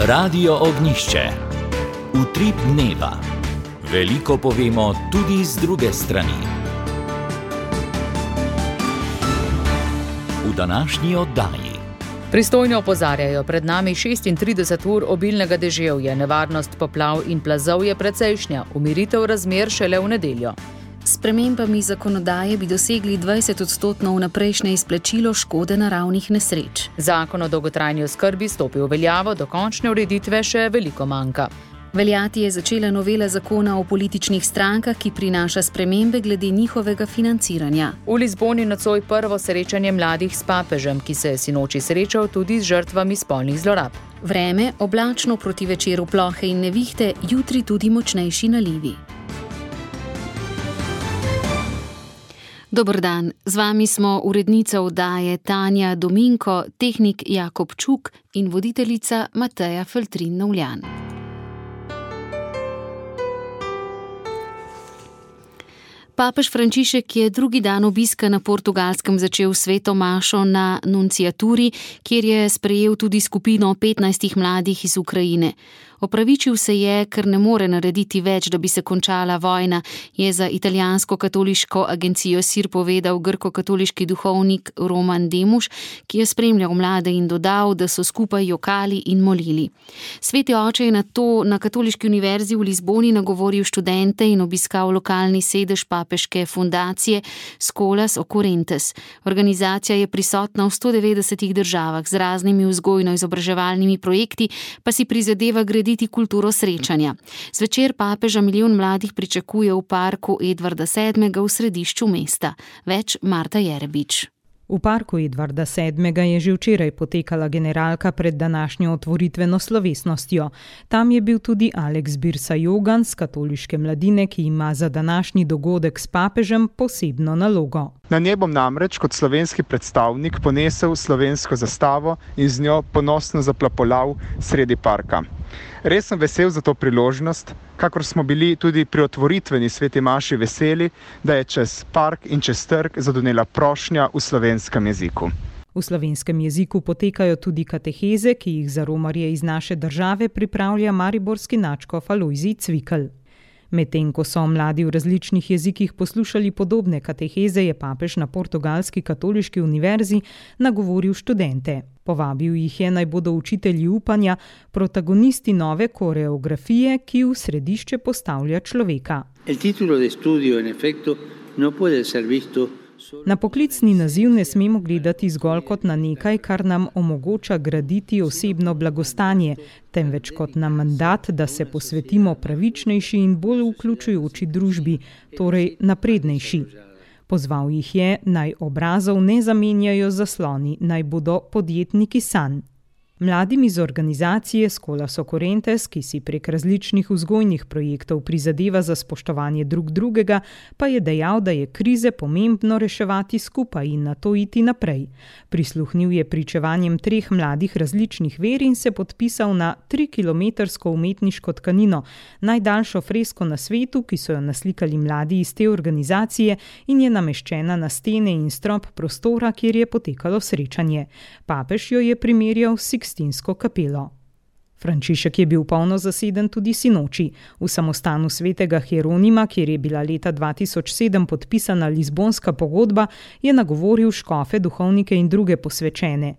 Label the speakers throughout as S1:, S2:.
S1: Radio Ognjišče. Utrip dneva. Veliko povemo tudi z druge strani. V današnji oddaji.
S2: Pristojni opozarjajo, pred nami 36 ur obilnega deževja, nevarnost poplav in plazov je precejšnja, umiritev razmer šele v nedeljo.
S3: S spremembami zakonodaje bi dosegli 20% vnaprejšnje izplačilo škode naravnih nesreč.
S2: Zakon o dolgotrajni oskrbi stopi v veljavo, do končne ureditve še veliko manjka.
S3: Veljati je začela novela zakona o političnih strankah, ki prinaša spremembe glede njihovega financiranja.
S2: V Lizboni nocoj prvo srečanje mladih s papežem, ki se je sinoči srečal tudi z žrtvami spolnih zlorab.
S3: Vreme, oblačno proti večeru plohe in nevihte, jutri tudi močnejši nalivi. Dober dan, z vami smo urednica oddaje Tanja Dominko, tehnik Jakob Čuk in voditeljica Mateja Feltrin-Novljan. Papež Frančišek je drugi dan obiska na Portugalskem začel sveto mašo na nunciaturi, kjer je sprejel tudi skupino 15 mladih iz Ukrajine. Opravičil se je, ker ne more narediti več, da bi se končala vojna, je za italijansko katoliško agencijo SIR povedal grko-katoliški duhovnik Roman Demuš, ki je spremljal mlade in dodal, da so skupaj jokali in molili. Sveti oče je nato na Katoliški univerzi v Lizboni nagovoril študente in obiskal lokalni sedež papeške fundacije Scholas Occurrentes. Organizacija je prisotna v 190 državah z raznimi vzgojno-izobraževalnimi projekti, pa si prizadeva graditi kulturo srečanja. Zvečer papeža milijon mladih pričakuje v parku Edvarda VII. V središču mesta. Več Marta Jerebič.
S4: V parku Edvarda VII. Je že včeraj potekala generalka pred današnjo otvoritveno slovesnostjo. Tam je bil tudi Alex Birsa-Jogan z katoliške mladine, ki ima za današnji dogodek s papežem posebno nalogo.
S5: Na njej bom namreč kot slovenski predstavnik ponesel slovensko zastavo in z njo ponosno zaplapolal sredi parka. Res sem vesel za to priložnost, kakor smo bili tudi pri otvoritveni sveti maši veseli, da je čez park in čez trg zadonela prošnja v slovenskem jeziku.
S4: V slovenskem jeziku potekajo tudi kateheze, ki jih za romarje iz naše države pripravlja mariborski nadškof Alojzij Cvikl. Medtem ko so mladi v različnih jezikih poslušali podobne kateheze, je papež na Portugalski katoliški univerzi nagovoril študente. Povabil jih je, naj bodo učitelji upanja, protagonisti nove koreografije, ki v središče postavlja človeka. Na poklicni naziv ne smemo gledati zgolj kot na nekaj, kar nam omogoča graditi osebno blagostanje, temveč kot na mandat, da se posvetimo pravičnejši in bolj vključujoči družbi, torej naprednejši. Pozval jih je, naj obrazov ne zamenjajo zasloni, naj bodo podjetniki sanj. Mladim iz organizacije Scholas Occurrentes, ki si prek različnih vzgojnih projektov prizadeva za spoštovanje drug drugega, pa je dejal, da je krize pomembno reševati skupaj in nato iti naprej. Prisluhnil je pričevanjem 3 mladih različnih ver in se podpisal na 3-kilometrsko umetniško tkanino, najdaljšo fresko na svetu, ki so jo naslikali mladi iz te organizacije in je nameščena na stene in strop prostora, kjer je potekalo srečanje. Papež jo je primerjal s Sikstinsko kapelo. Frančišek je bil polno zaseden tudi sinoči. V samostanu svetega Hieronima, kjer je bila leta 2007 podpisana Lizbonska pogodba, je nagovoril škofe, duhovnike in druge posvečene.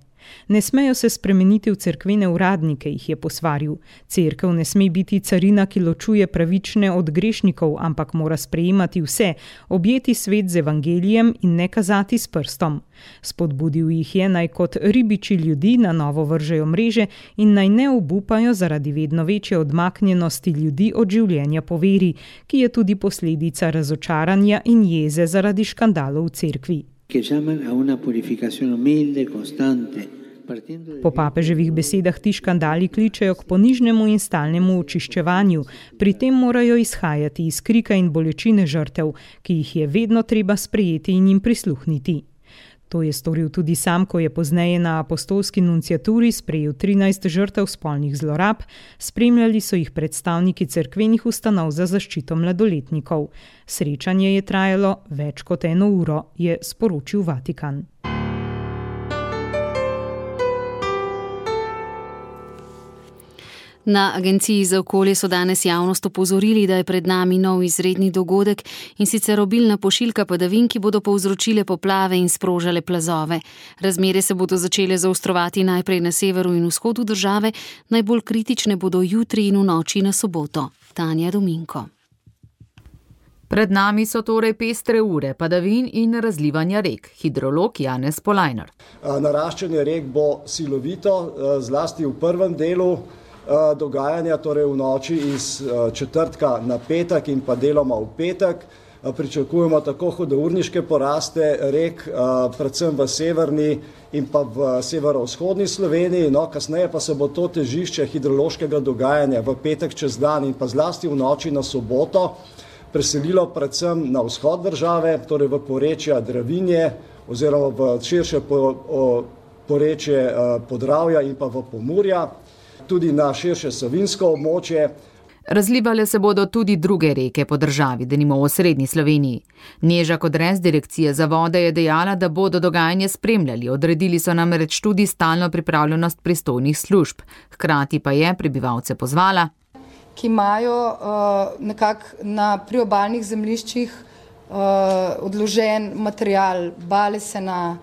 S4: Ne smejo se spremeniti v cerkvene uradnike, jih je posvaril. Cerkev ne sme biti carina, ki ločuje pravične od grešnikov, ampak mora sprejemati vse, objeti svet z evangelijem in ne kazati s prstom. Spodbudil jih je, naj kot ribiči ljudi na novo vržejo mreže in naj ne obupajo zaradi vedno večje odmaknjenosti ljudi od življenja po veri, ki je tudi posledica razočaranja in jeze zaradi škandalov v cerkvi. Po papeževih besedah ti škandali kličejo k ponižnemu in stalnemu očiščevanju, pri tem morajo izhajati iz krika in bolečine žrtev, ki jih je vedno treba sprejeti in jim prisluhniti. To je storil tudi sam, ko je pozneje na apostolski nunciaturi sprejel 13 žrtev spolnih zlorab, spremljali so jih predstavniki cerkvenih ustanov za zaščito mladoletnikov. Srečanje je trajalo več kot 1 uro, je sporočil Vatikan.
S3: Na Agenciji za okolje so danes javnost opozorili, da je pred nami nov izredni dogodek, in sicer obilna pošiljka padavin, ki bodo povzročile poplave in sprožale plazove. Razmere se bodo začele zaostrovati najprej na severu in vzhodu države, najbolj kritične bodo jutri in v noči na soboto. Tanja Dominko.
S2: Pred nami so torej pestre ure padavin in razlivanja rek. Hidrolog Janez Polajnar.
S6: Naraščanje rek bo silovito, zlasti v prvem delu dogajanja, torej v noči iz četrtka na petek in pa deloma v petek. Pričakujemo tako hudourniške poraste rek, predvsem v severni in pa v severovzhodni Sloveniji. Kasneje pa se bo to težišče hidrološkega dogajanja v petek čez dan in pa zlasti v noči na soboto preselilo predvsem na vzhod države, torej v porečja Dravinje oziroma v širše porečje Podravja in pa v Pomurja, tudi na širše savinsko območje.
S2: Razlivale se bodo tudi druge reke po državi, denimo v osrednji Sloveniji. Neža Kodres, Direkcija za vode, je dejala, da bodo dogajanje spremljali. Odredili so namreč tudi stalno pripravljenost pristojnih služb. Hkrati pa je prebivalce pozvala,
S7: ki imajo nekako na priobalnih zemljiščih odložen material, bale se na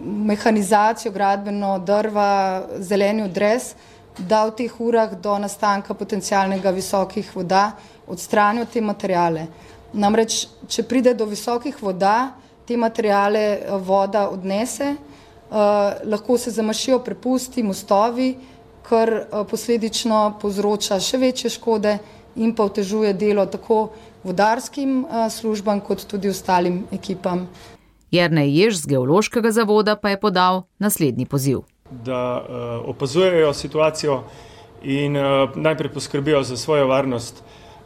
S7: mehanizacijo, gradbeno, drva, zeleni odrez, da v teh urah do nastanka potencialnega visokih voda odstranijo te materijale. Namreč, če pride do visokih voda, te materijale voda odnese, lahko se zamašijo prepusti, mostovi, kar posledično povzroča še večje škode in pa otežuje delo tako vodarskim službam kot tudi ostalim ekipam.
S2: Jernej Jež z Geološkega zavoda pa je podal naslednji poziv.
S8: Da opazujejo situacijo in najprej poskrbijo za svojo varnost,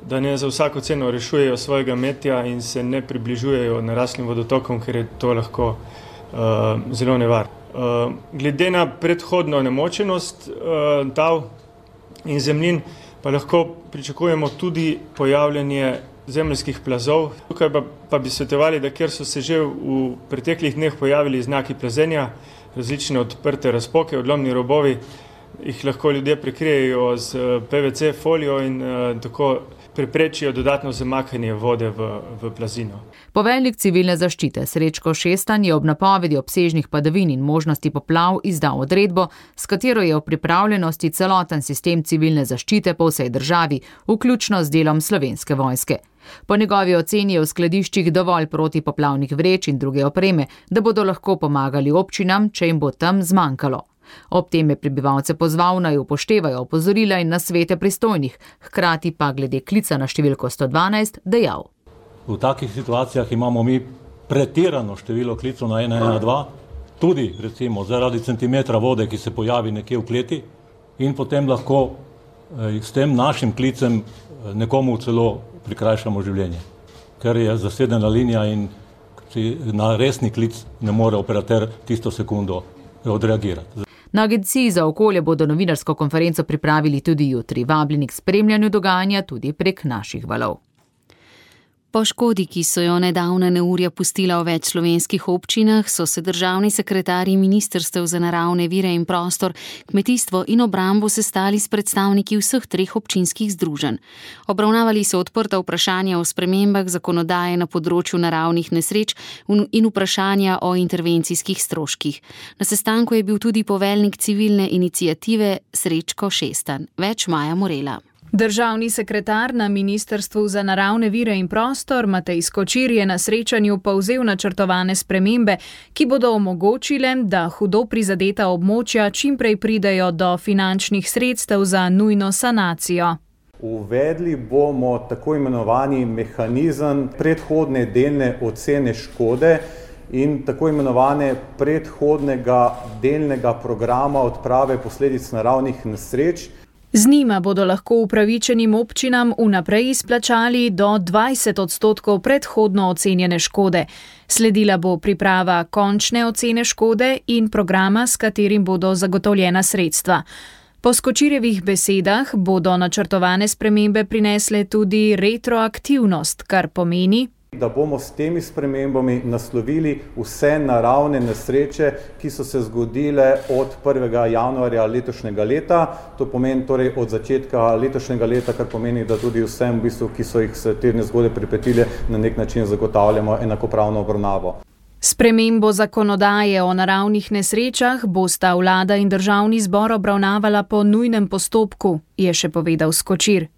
S8: da ne za vsako ceno rešujejo svojega metja in se ne približujejo naraslim vodotokom, ker je to lahko zelo nevarno. Glede na predhodno nemočenost tal in zemljin pa lahko pričakujemo tudi pojavljanje zemeljskih plazov. Tukaj pa bi svetovali, da ker so se že v preteklih dneh pojavili znaki plazenja, različne odprte razpoke, odlomni robovi, jih lahko ljudje prekrijejo z PVC folijo in tako preprečijo dodatno zamakanje vode v plazino.
S2: Poveljnik civilne zaščite Srečko Šestan je ob napovedi obsežnih padavin in možnosti poplav izdal odredbo, s katero je v pripravljenosti celoten sistem civilne zaščite po vsej državi, vključno z delom Slovenske vojske. Po njegovi oceni je v skladiščih dovolj protipoplavnih vreč in druge opreme, da bodo lahko pomagali občinam, če jim bo tam zmanjkalo. Ob tem je prebivalce pozval, naj upoštevajo opozorila in nasvete pristojnih, hkrati pa glede klica na številko 112 dejal.
S9: V takih situacijah imamo mi pretirano število klicev na 112, tudi recimo zaradi centimetra vode, ki se pojavi nekje v kleti, in potem lahko s tem našim klicem nekomu celo prikrajšamo življenje, ker je zasedena linija in na resni klic ne more operater tisto sekundo odreagirati.
S2: Na Agenciji za okolje bodo novinarsko konferenco pripravili tudi jutri. Vabljeni k spremljanju dogajanja tudi prek naših valov.
S3: Po škodi, ki so jo nedavna neurja pustila v več slovenskih občinah, so se državni sekretarji ministrstev za naravne vire in prostor, kmetijstvo in obrambo sestali s predstavniki vseh treh občinskih združenj. Obravnavali so odprta vprašanja o spremembah zakonodaje na področju naravnih nesreč in vprašanja o intervencijskih stroških. Na sestanku je bil tudi poveljnik civilne iniciative Srečko Šestan. Več Maja Morela.
S10: Državni sekretar na Ministrstvu za naravne vire in prostor Matej Skočir je na srečanju povzel načrtovane spremembe, ki bodo omogočile, da hudo prizadeta območja čimprej pridejo do finančnih sredstev za nujno sanacijo.
S11: Uvedli bomo tako imenovani mehanizem predhodne delne ocene škode in tako imenovane predhodnega delnega programa odprave posledic naravnih nesreč.
S10: Z njima bodo lahko upravičenim občinam vnaprej izplačali do 20% predhodno ocenjene škode. Sledila bo priprava končne ocene škode in programa, s katerim bodo zagotovljena sredstva. Po Skočirjevih besedah bodo načrtovane spremembe prinesle tudi retroaktivnost, kar pomeni,
S11: Da bomo s temi spremembami naslovili vse naravne nesreče, ki so se zgodile od 1. januarja letošnjega leta. To pomeni torej od začetka letošnjega leta, kar pomeni, da tudi vsem, ki so jih te nezgode pripetile, na nek način zagotavljamo enakopravno obravnavo.
S10: Spremembo zakonodaje o naravnih nesrečah bosta vlada in državni zbor obravnavala po nujnem postopku, je še povedal Skočir.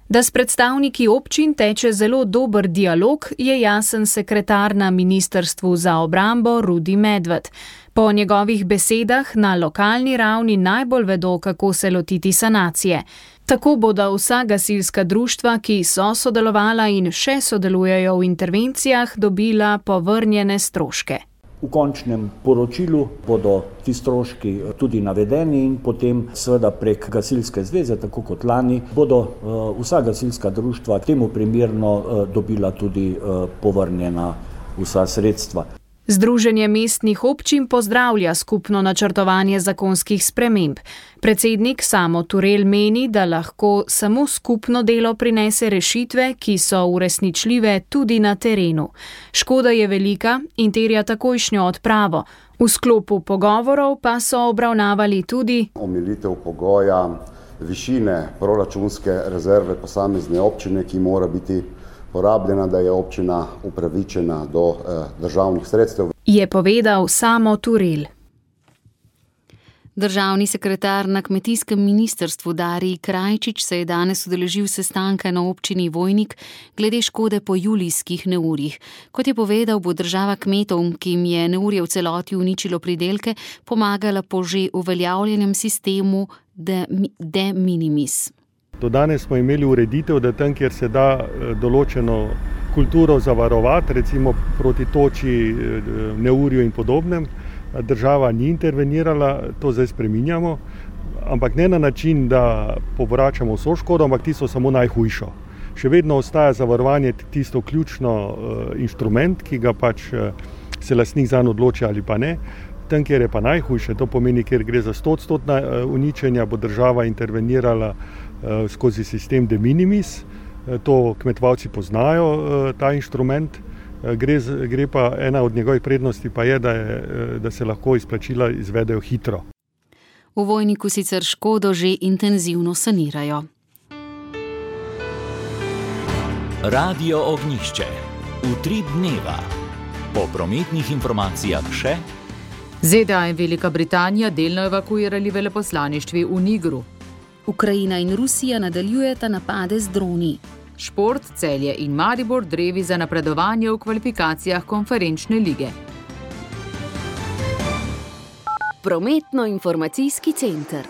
S10: Da s predstavniki občin teče zelo dober dialog, je jasen sekretar na Ministrstvu za obrambo Rudi Medved. Po njegovih besedah na lokalni ravni najbolj vedo, kako se lotiti sanacije. Tako bodo vsa gasilska društva, ki so sodelovala in še sodelujejo v intervencijah, dobila povrnjene stroške.
S12: V končnem poročilu bodo ti stroški tudi navedeni in potem seveda prek gasilske zveze, tako kot lani, bodo vsa gasilska društva temu primerno dobila tudi povrnjena vsa sredstva.
S10: Združenje mestnih občin pozdravlja skupno načrtovanje zakonskih sprememb. Predsednik Samo Turel meni, da lahko samo skupno delo prinese rešitve, ki so uresničljive tudi na terenu. Škoda je velika in terja takojšnjo odpravo. V sklopu pogovorov pa so obravnavali tudi
S13: omilitev pogoja višine proračunske rezerve posamezne občine, ki mora biti porabljena, da je občina upravičena do državnih sredstev.
S10: Je povedal Samo Turel.
S3: Državni sekretar na kmetijskem ministrstvu Darij Krajčič se je danes udeležil sestanka na občini Vojnik glede škode po julijskih neurjih. Kot je povedal, bo država kmetom, ki jim je neurje v celoti uničilo pridelke, pomagala po že uveljavljenem sistemu de minimis.
S14: Do danes smo imeli ureditev, da tam, kjer se da določeno kulturo zavarovati, recimo proti toči, neurju in podobnem, država ni intervenirala, to zdaj spreminjamo, ampak ne na način, da povračamo vso škodo, ampak tisto samo najhujšo. Še vedno ostaja zavarovanje tisto ključno inštrument, ki ga pač se lastnik zanj odloči ali pa ne. Tam, kjer je pa najhujše, to pomeni, kjer gre za 100% uničenja, bo država intervenirala skozi sistem de minimis. To kmetovalci poznajo, ta inštrument. Gre pa ena od njegovih prednosti pa je, da se lahko izplačila izvedejo hitro.
S3: V Vojniku sicer škodo že intenzivno sanirajo.
S1: Radio Ognjišče. Utrip dneva. Po prometnih informacijah še
S2: ZDA in Velika Britanija delno evakuirali veleposlaništvi v Nigru.
S3: Ukrajina in Rusija nadaljujeta napade z droni.
S2: Šport, Celje in Maribor drevi za napredovanje v kvalifikacijah konferenčne lige.
S3: Prometno-informacijski center.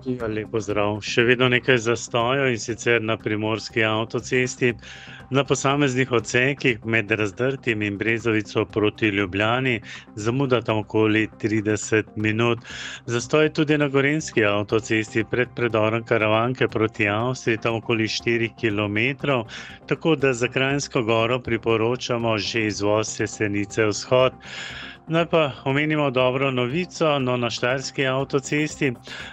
S15: Lep pozdrav. Še vedno nekaj zastojev in sicer na primorski avtocesti. Na posameznih odsekih med Razdrtim in Brezovico proti Ljubljani zamuda tam okoli 30 minut. Zastoj tudi na gorenjski avtocesti pred predorom Karavanke proti Avstriji tam okoli 4 km, tako da za Kranjsko Goro priporočamo že izvoz Jesenice vzhod. Naj pa omenimo dobro novico, na Štajerski avtocesti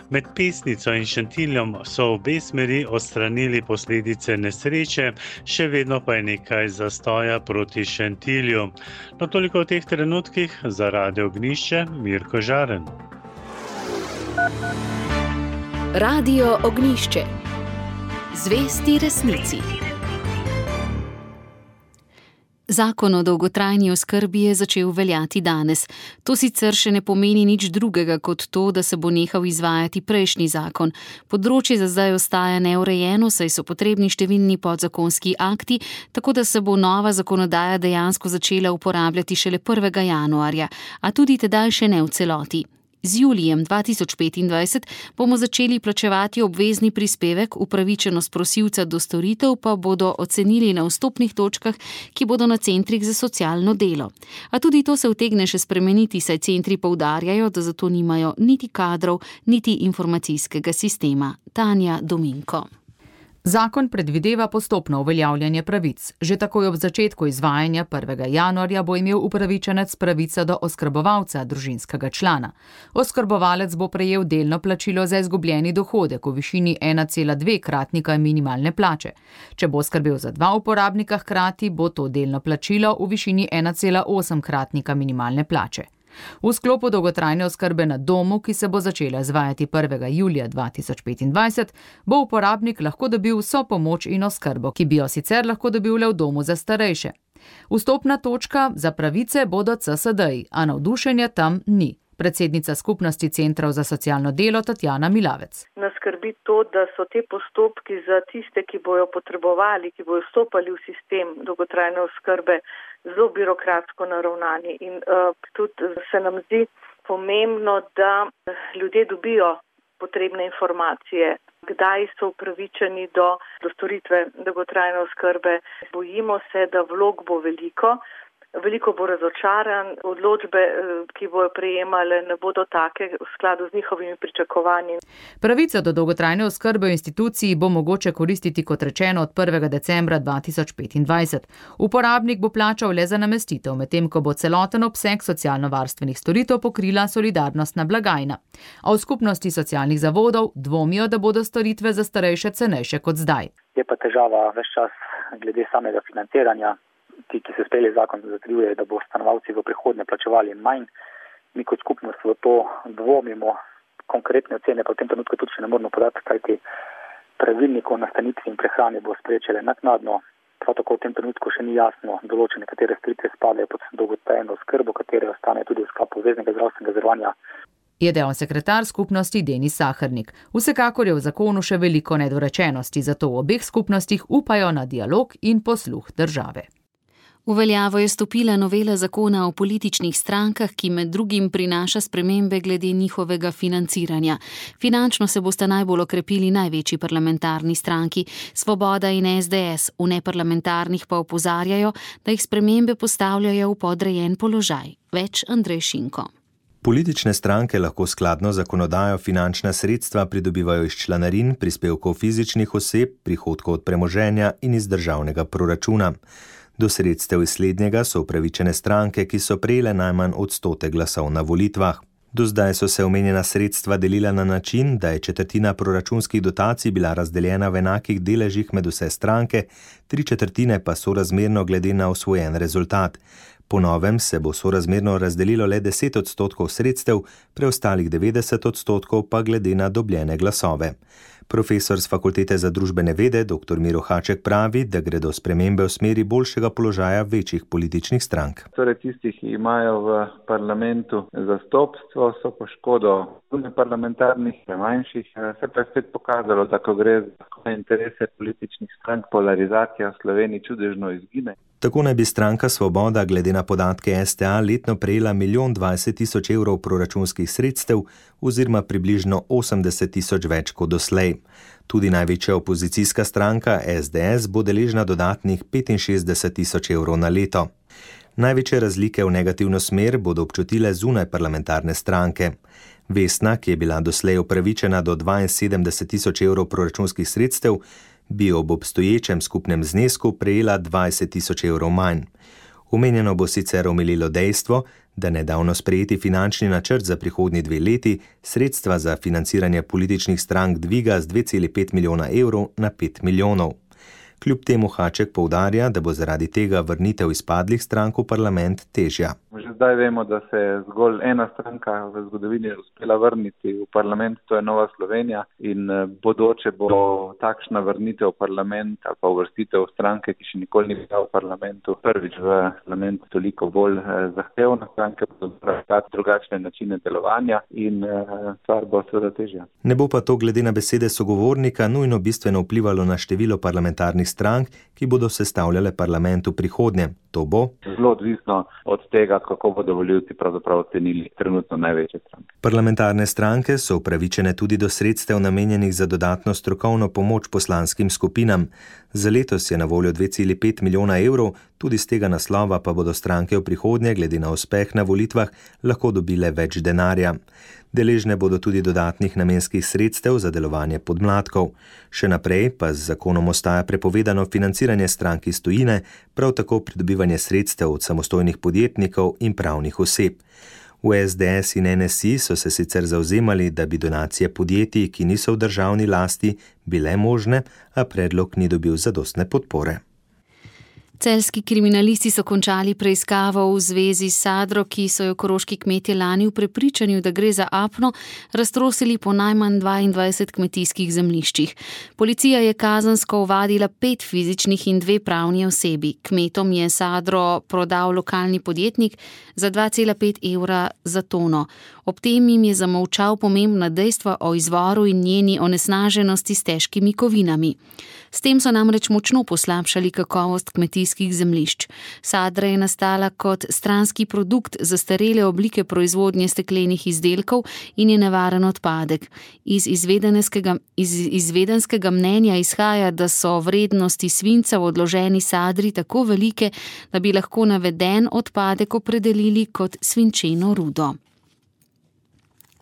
S15: med Pesnico in Šentiljem so obe smeri odstranili posledice nesreče, še vedno pa je nekaj zastoja proti Šentilju. Toliko v teh trenutkih za Radio Ognjišče, Mirko Žaren.
S3: Radio Ognjišče. Zvesti resnici. Zakon o dolgotrajni oskrbi je začel veljati danes. To sicer še ne pomeni nič drugega kot to, da se bo nehal izvajati prejšnji zakon. Področje za zdaj ostaja neurejeno, saj so potrebni številni podzakonski akti, tako da se bo nova zakonodaja dejansko začela uporabljati šele 1. januarja, a tudi tedaj še ne v celoti. Z julijem 2025 bomo začeli plačevati obvezni prispevek, upravičenost prosilca do storitev pa bodo ocenili na vstopnih točkah, ki bodo na centrih za socialno delo. A tudi to se utegne še spremeniti, saj centri poudarjajo, da zato nimajo niti kadrov, niti informacijskega sistema. Tanja Dominko.
S2: Zakon predvideva postopno uveljavljanje pravic. Že takoj ob začetku izvajanja 1. januarja bo imel upravičenec pravico do oskrbovalca družinskega člana. Oskrbovalec bo prejel delno plačilo za izgubljeni dohodek v višini 1,2-kratnika minimalne plače. Če bo skrbel za 2 uporabnika hkrati, bo to delno plačilo v višini 1,8-kratnika minimalne plače. V sklopu dolgotrajne oskrbe na domu, ki se bo začela izvajati 1. julija 2025, bo uporabnik lahko dobil vso pomoč in oskrbo, ki bi jo sicer lahko dobil le v domu za starejše. Vstopna točka za pravice bodo CSD-ji, a navdušenja tam ni. Predsednica skupnosti centrov za socialno delo Tatjana Milavec.
S16: Nas skrbi to, da so te postopki za tiste, ki bojo potrebovali, ki bojo vstopali v sistem dolgotrajne oskrbe, zelo birokratsko naravnani. In tudi se nam zdi pomembno, da ljudje dobijo potrebne informacije, kdaj so upravičeni do storitve dolgotrajne oskrbe. Bojimo se, da vlog bo veliko bo razočaran, odločbe, ki bojo prejemale, ne bodo take v skladu z njihovimi pričakovanji.
S2: Pravico do dolgotrajne oskrbe v instituciji bo mogoče koristiti, kot rečeno, od 1. decembra 2025. Uporabnik bo plačal le za namestitev, medtem ko bo celoten obseg socialno-varstvenih storitev pokrila solidarnostna blagajna. A v skupnosti socialnih zavodov dvomijo, da bodo storitve za starejše cenejše kot zdaj.
S17: Je pa težava ves čas glede samega financiranja. Ti, ki se sprejeli zakon, zatrjuje, da bo stanovalci v prihodnje plačevali manj. Mi kot skupnost v to dvomimo, konkretne ocene pa v tem trenutku tudi še ne moramo podati, kajti pravilnik o nastanitvi in prehrani bo spreječele naknadno. Prav tako v tem trenutku še ni jasno določene, katere storitve spadajo pod dolgotrajno oskrbo, katere ostane tudi v sklopu obveznega zdravstvenega zavarovanja.
S2: Je dejal sekretar skupnosti Denis Sahernik. Vsekakor je v zakonu še veliko nedorečenosti, zato v obeh skupnostih upajo na dialog in posluh države.
S3: V veljavo je stopila novela zakona o političnih strankah, ki med drugim prinaša spremembe glede njihovega financiranja. Finančno se bosta najbolj okrepili največji parlamentarni stranki, Svoboda in SDS, v neparlamentarnih pa opozarjajo, da jih spremembe postavljajo v podrejen položaj. Več Andrej Šinko.
S18: Politične stranke lahko skladno zakonodajo finančna sredstva pridobivajo iz članarin, prispevkov fizičnih oseb, prihodkov od premoženja in iz državnega proračuna. Do sredstev iz slednjega so upravičene stranke, ki so prejele najmanj 100 glasov na volitvah. Do zdaj so se omenjena sredstva delila na način, da je 1/4 proračunskih dotacij bila razdeljena v enakih deležih med vse stranke, 3/4 pa sorazmerno glede na osvojen rezultat. Po novem se bo sorazmerno razdelilo le 10% sredstev, preostalih 90% pa glede na dobljene glasove. Profesor z Fakultete za družbene vede, dr. Miro Haček, pravi, da gredo spremembe v smeri boljšega položaja večjih političnih strank.
S19: Torej tisti, ki imajo v parlamentu zastopstvo, so po škodo parlamentarnih, manjših, se pa je spet pokazalo, da ko gre za interese političnih strank, polarizacija v Sloveniji čudežno izgine.
S18: Tako naj bi stranka Svoboda glede na podatke STA letno prejela 1,20 milijon evrov proračunskih sredstev oziroma približno 80 tisoč več kot doslej. Tudi največja opozicijska stranka SDS bo deležna dodatnih 65 tisoč evrov na leto. Največje razlike v negativno smer bodo občutile zunaj parlamentarne stranke. Vesna, ki je bila doslej upravičena do 72 tisoč evrov proračunskih sredstev, bi ob obstoječem skupnem znesku prejela 20 tisoč evrov manj. Omenjeno bo sicer omililo dejstvo, da nedavno sprejeti finančni načrt za prihodnji 2 leti sredstva za financiranje političnih strank dviga z 2,5 milijona evrov na 5 milijonov. Kljub temu Haček poudarja, da bo zaradi tega vrnitev izpadlih strank v parlament težja.
S19: Že zdaj vemo, da se je zgolj ena stranka v zgodovini uspela vrniti v parlament, to je Nova Slovenija, in bodoče bo takšna vrnitev v parlament ali pa uvrstitev stranke, ki še nikoli ni bila v parlamentu, prvič v parlamentu toliko bolj zahtevna. Stranke bodo iskati drugačne načine delovanja in stvar bo seveda težja.
S18: Ne bo pa to glede na besede sogovornika nujno bistveno vplivalo na število parlamentarnih strank, ki bodo sestavljale parlament v prihodnje. To bo
S19: zelo odvisno od tega, kako bodo volivci pravzaprav ocenili trenutno največje stranke.
S18: Parlamentarne stranke so upravičene tudi do sredstev namenjenih za dodatno strokovno pomoč poslanskim skupinam. Za letos je na voljo 2,5 milijona evrov, tudi z tega naslova pa bodo stranke v prihodnje, glede na uspeh na volitvah, lahko dobile več denarja. Deležne bodo tudi dodatnih namenskih sredstev za delovanje podmladkov. Še naprej pa z zakonom ostaja prepovedano financiranje strank iz tujine, prav tako pridobivanje sredstev od samostojnih podjetnikov in pravnih oseb. V SDS in NSI so se sicer zavzemali, da bi donacije podjetij, ki niso v državni lasti, bile možne, a predlog ni dobil zadostne podpore.
S3: Celjski kriminalisti so končali preiskavo v zvezi s sadro, ki so jo koroški kmetje lani v prepričanju, da gre za apno, raztrosili po najmanj 22 kmetijskih zemljiščih. Policija je kazensko ovadila 5 fizičnih in 2 pravni osebi. Kmetom je sadro prodal lokalni podjetnik za 2,5 evra za tono. Ob tem jim je zamolčal pomembna dejstva o izvoru in njeni onesnaženosti s težkimi kovinami. S tem so namreč močno poslabšali kakovost kmetijskih zemljišč. Sadra je nastala kot stranski produkt zastarele oblike proizvodnje steklenih izdelkov in je nevaren odpadek. Iz izvedenskega mnenja izhaja, da so vrednosti svinca v odloženi sadri tako velike, da bi lahko naveden odpadek opredelili kot svinčeno rudo.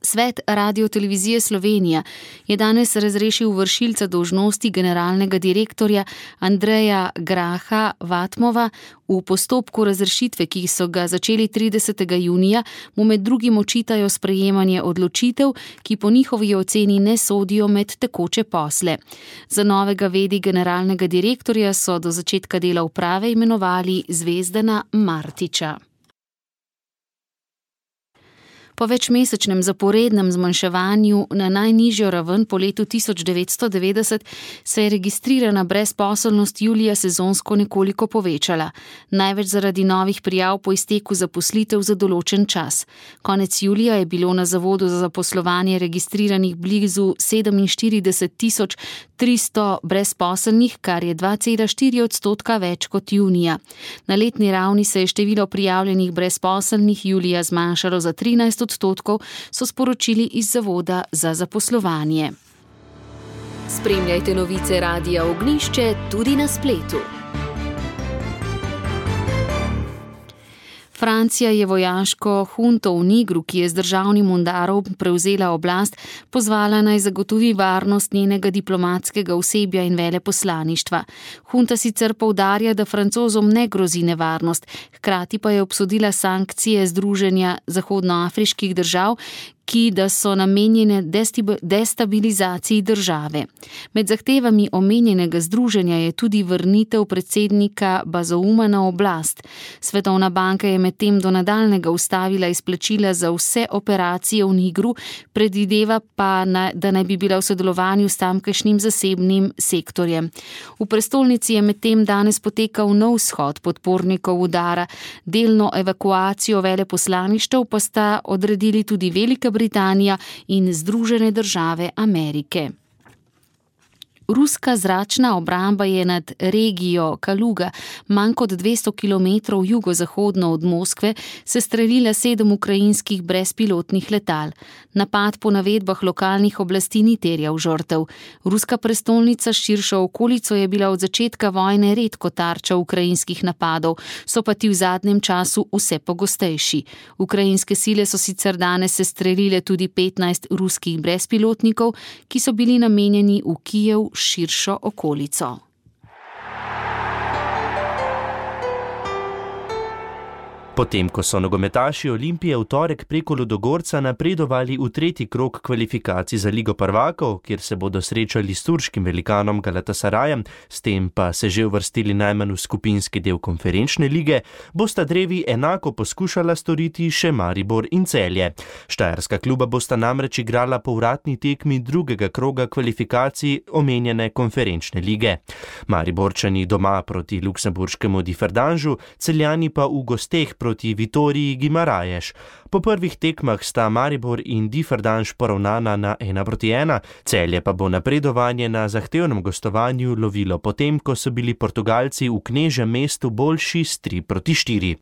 S3: Svet Radiotelevizije Slovenija je danes razrešil vršilca dolžnosti generalnega direktorja Andreja Graha Vatmova. V postopku razrešitve, ki so ga začeli 30. junija, mu med drugim očitajo sprejemanje odločitev, ki po njihovi oceni ne sodijo med tekoče posle. Za novega vedi generalnega direktorja so do začetka dela uprave imenovali Zvezdana Martiča. Po večmesečnem zaporednem zmanjševanju na najnižjo raven po letu 1990 se je registrirana brezposelnost julija sezonsko nekoliko povečala. Največ zaradi novih prijav po izteku zaposlitev za določen čas. Konec julija je bilo na Zavodu za zaposlovanje registriranih blizu 47.300 brezposelnih, kar je 2,4% več kot junija. Na letni ravni se je število prijavljenih brezposelnih julija zmanjšalo za 13%, so sporočili iz Zavoda za zaposlovanje.
S20: Spremljajte novice Radia Ognjišče tudi na spletu.
S3: Francija je vojaško hunto v Nigru, ki je z državnim udarom prevzela oblast, pozvala naj zagotovi varnost njenega diplomatskega osebja in veleposlaništva. Hunta sicer poudarja, da Francozom ne grozi nevarnost, hkrati pa je obsodila sankcije Združenja zahodnoafriških držav, ki da so namenjene destabilizaciji države. Med zahtevami omenjenega združenja je tudi vrnitev predsednika Bazouma na oblast. Svetovna banka je medtem do nadaljnjega ustavila izplačila za vse operacije v Nigru, predvideva pa, da naj bi bila v sodelovanju s tamkajšnjim zasebnim sektorjem. V prestolnici je medtem danes potekal nov shod podpornikov udara. Delno evakuacijo veleposlaništev pa sta odredili tudi Velika Britanija in Združene države Amerike. Ruska zračna obramba je nad regijo Kaluga, manj kot 200 km jugozahodno od Moskve, sestrelila 7 ukrajinskih brezpilotnih letal. Napad po navedbah lokalnih oblasti ni terjal žrtev. Ruska prestolnica s širšo okolico je bila od začetka vojne redko tarča ukrajinskih napadov, so pa ti v zadnjem času vse pogostejši. Ukrajinske sile so sicer danes sestrelile tudi 15 ruskih brezpilotnikov, ki so bili namenjeni v Kijev širšo okolico.
S21: Potem, ko so nogometaši Olimpije v torek preko Ludogorca napredovali v 3. krog kvalifikacij za Ligo prvakov, kjer se bodo srečali s turškim velikanom Galatasarajem, s tem pa se že uvrstili najmanj v skupinski del konferenčne lige, bosta drevi enako poskušala storiti še Maribor in Celje. Štajerska kluba bosta namreč igrala povratni tekmi 2. kroga kvalifikacij omenjene konferenčne lige. Mariborčani doma proti luksemburškemu Differdanžu, Celjani pa v gosteh proti Vitoriji Guimarães. Po prvih tekmah sta Maribor in Differdanž poravnana na 1-1, Celje pa bo napredovanje na zahtevnem gostovanju lovilo potem, ko so bili Portugalci v knežjem mestu boljši s 3-4.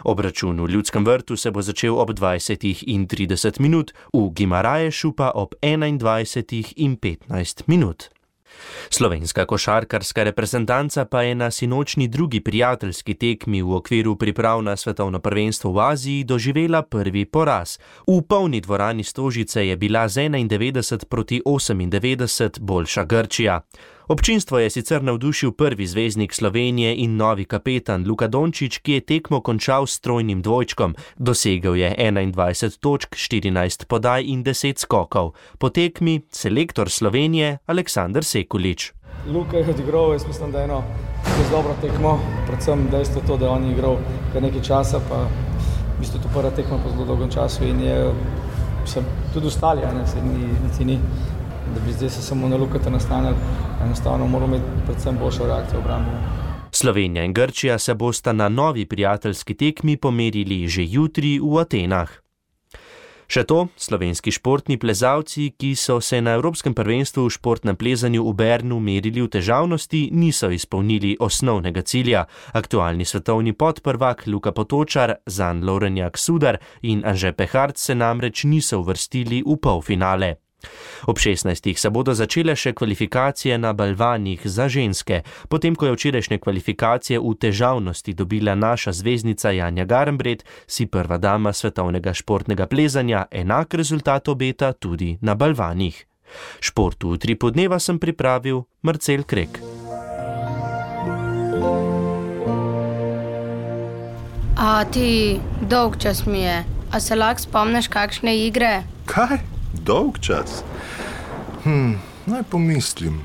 S21: Obračun v Ljudskem vrtu se bo začel ob 20:30, v Guimarãesu pa ob 21:15. Slovenska košarkarska reprezentanca pa je na sinočni drugi prijateljski tekmi v okviru priprav na svetovno prvenstvo v Aziji doživela prvi poraz. V polni dvorani Stožice je bila z 91-98 boljša Grčija. Občinstvo je sicer navdušil prvi zvezdnik Slovenije in novi kapetan Luka Dončić, ki je tekmo končal s trojnim dvojčkom. Dosegel je 21 točk, 14 podaj in 10 skokov. Po tekmi selektor Slovenije Aleksander Sekulić.
S5: Luka je odigral, jaz mislim, da je eno dobro tekmo, predvsem dejstvo to, da on je igral kar nekaj časa, pa v bistvu to prva tekma po zelo dolgem času in je tudi ostali, niti ni. Da bi zdaj se samo na Lukata nastanili, enostavno moramo imeti predvsem boljšo reakcijo v obrambi.
S21: Slovenija in Grčija se bosta na novi prijateljski tekmi pomerili že jutri v Atenah. Še to, slovenski športni plezalci, ki so se na Evropskem prvenstvu v športnem plezanju v Bernu merili v težavnosti, niso izpolnili osnovnega cilja. Aktualni svetovni podprvak Luka Potočar, Zan Lorenjak Sudar in Anže Pehart se namreč niso uvrstili v polfinale. Ob 16. se bodo začele še kvalifikacije na balvanih za ženske. Potem, ko je včerajšnje kvalifikacije v težavnosti dobila naša zvezdnica Janja Garnbret, si prva dama svetovnega športnega plezanja enak rezultat obeta tudi na balvanih. Športu v Utripu dneva sem pripravil Marcel Krek.
S22: A ti, dolg čas mi je. A se lahko spomniš kakšne igre?
S23: Kaj? Dolg čas? Naj pomislim.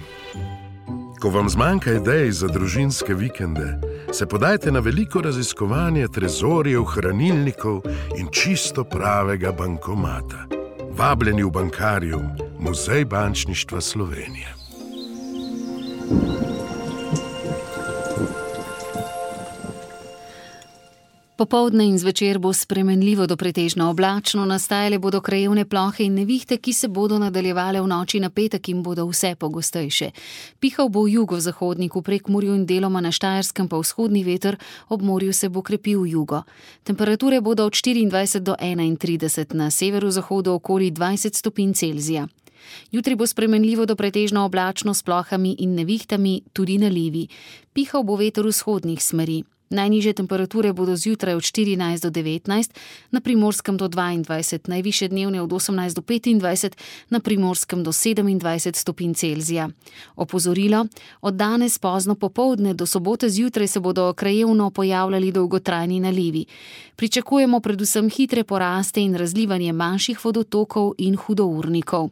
S23: Ko vam zmanjka idej za družinske vikende, se podajte na veliko raziskovanje trezorjev, hranilnikov in čisto pravega bankomata. Vabljeni v Bankarium, Muzej bančništva Slovenije.
S3: Popoldne in zvečer bo spremenljivo do pretežno oblačno, nastajale bodo krajevne plohe in nevihte, ki se bodo nadaljevale v noči na petek in bodo vse pogostejše. Pihal bo v jugozahodnik, v Prekmurju in deloma na Štajerskem pa vzhodni veter, ob morju se bo krepil jugo. Temperature bodo od 24 do 31, na severu-zahodu okoli 20 stopinj Celzija. Jutri bo spremenljivo do pretežno oblačno s plohami in nevihtami, tudi nalivi. Pihal bo veter vzhodnih smeri. Najnižje temperature bodo zjutraj od 14 do 19, na Primorskem do 22, najvišje dnevne od 18 do 25, na Primorskem do 27 stopinj Celzija. Opozorilo, od danes pozno popoldne do sobote zjutraj se bodo krajevno pojavljali dolgotrajni nalivi. Pričakujemo predvsem hitre poraste in razlivanje manjših vodotokov in hudournikov.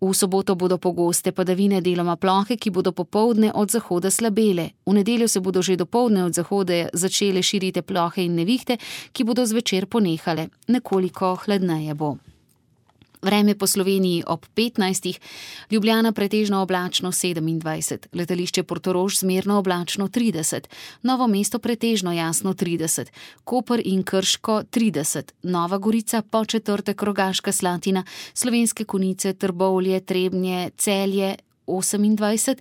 S3: V soboto bodo pogoste padavine, deloma plohe, ki bodo popoldne od zahoda slabele. V nedeljo se bodo že dopoldne od zahoda začele širiti plohe in nevihte, ki bodo zvečer ponehale. Nekoliko hladneje bo. Vreme po Sloveniji ob 15, Ljubljana pretežno oblačno 27, letališče Portorož zmerno oblačno 30, Novo mesto pretežno jasno 30, Koper in Krško 30, Nova Gorica, Podčetrtek, Rogaška Slatina, Slovenske Konjice, Trbovlje, Trebnje, Celje 28,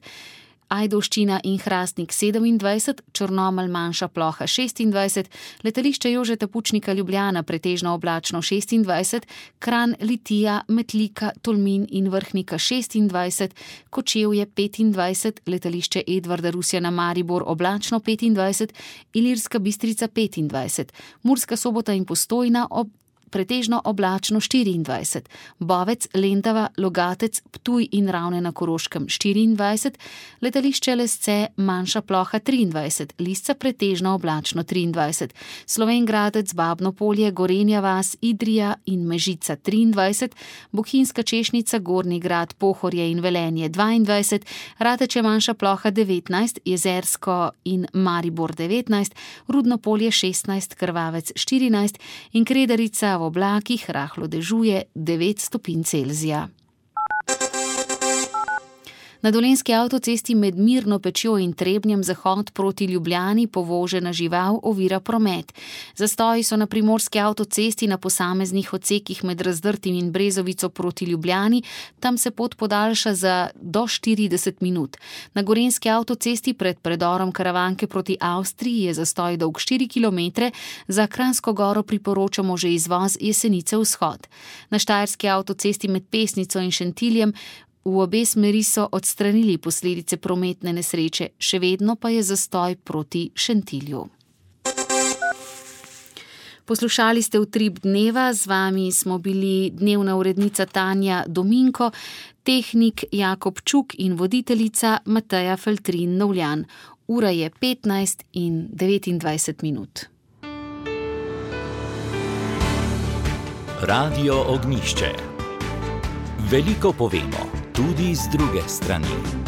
S3: Ajdovščina in Hrastnik 27, Črnomelj manjša ploha 26, letališče Jožeta Pučnika Ljubljana pretežno oblačno 26, Kranj, Litija, Metlika, Tolmin in Vrhnika 26, Kočevje 25, letališče Edvarda Rusjana Maribor oblačno 25, Ilirska Bistrica 25, Murska Sobota in Postojna pretežno oblačno 24, Bovec, Lendava, Logatec, Ptuj in Ravne na Koroškem 24, letališče Lesce manjša ploha 23, Lisca pretežno oblačno 23, Slovenj Gradec, Babno Polje, Gorenja vas, Idrija in Mežica 23, Bohinjska Češnica, Gornji Grad, Pohorje in Velenje 22, Rateče manjša ploha 19, Jezersko in Maribor 19, Rudno Polje 16, Krvavec 14 in Kredarica v oblakih rahlo dežuje 9 stopinj Celzija. Na Dolenjski avtocesti med Mirno Pečjo in Trebnjem zahod proti Ljubljani povožena žival ovira promet. Zastoji so na Primorski avtocesti na posameznih odsekih med Razdrtim in Brezovico proti Ljubljani, tam se pot podaljša za do 40 minut. Na Gorenjski avtocesti pred predorom Karavanke proti Avstriji je zastoj dolg 4 km, za Kranjsko Goro priporočamo že izvoz Jesenice vzhod. Na Štajerski avtocesti med Pesnico in Šentiljem V obe smeri so odstranili posledice prometne nesreče, še vedno pa je zastoj proti Šentilju. Poslušali ste Utrip dneva, z vami smo bili dnevna urednica Tanja Dominko, tehnik Jakob Čuk in voditeljica Mateja Feltrin-Novljan. Ura je 15:29 minut.
S1: Radio Ognjišče. Veliko povemo, tudi z druge strani.